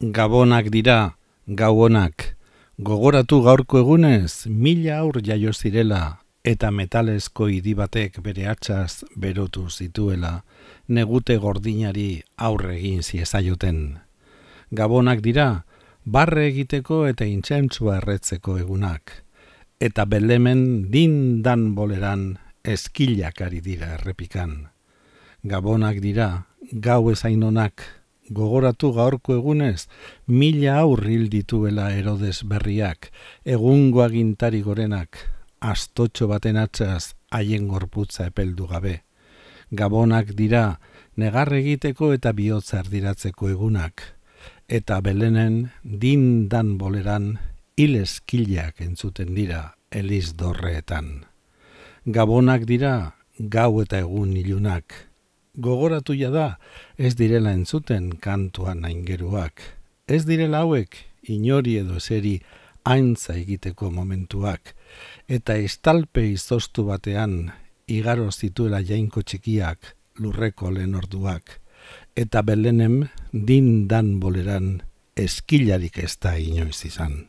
Gabonak dira, gabonak. Gogoratu gaurko egunez, 1000 haur jaio zirela, eta metalezko idi batek bere hatsaz berotu zituela, negute gordinari aurre egin ziezaioten. Gabonak dira, barre egiteko eta intsentsua erretzeko egunak, eta Belemen dindan boleran eskilak ari dira errepikan. Gabonak dira, gau ezain onak, gogoratu gaurko egunez, 1000 haur hil dituela Herodes berriak, egungo agintari gorenak, astotxo baten hatsaz haien gorputza epeldu gabe. Gabonak dira, negar egiteko eta bihotza erdiratzeko egunak, eta Belenen dindan boleran hil eskilak entzuten dira Eliz dorreetan. Gabonak dira, gau eta egun ilunak, gogoratu da, ez direla entzuten kantuan aingeruak. Ez direla hauek, inori edo eseri aintza egiteko momentuak, eta estalpe izoztu batean igaro zituela jainko txikiak lurreko lehen orduak, eta Belenem dindan boleran eskilarik ez da inoiz izan.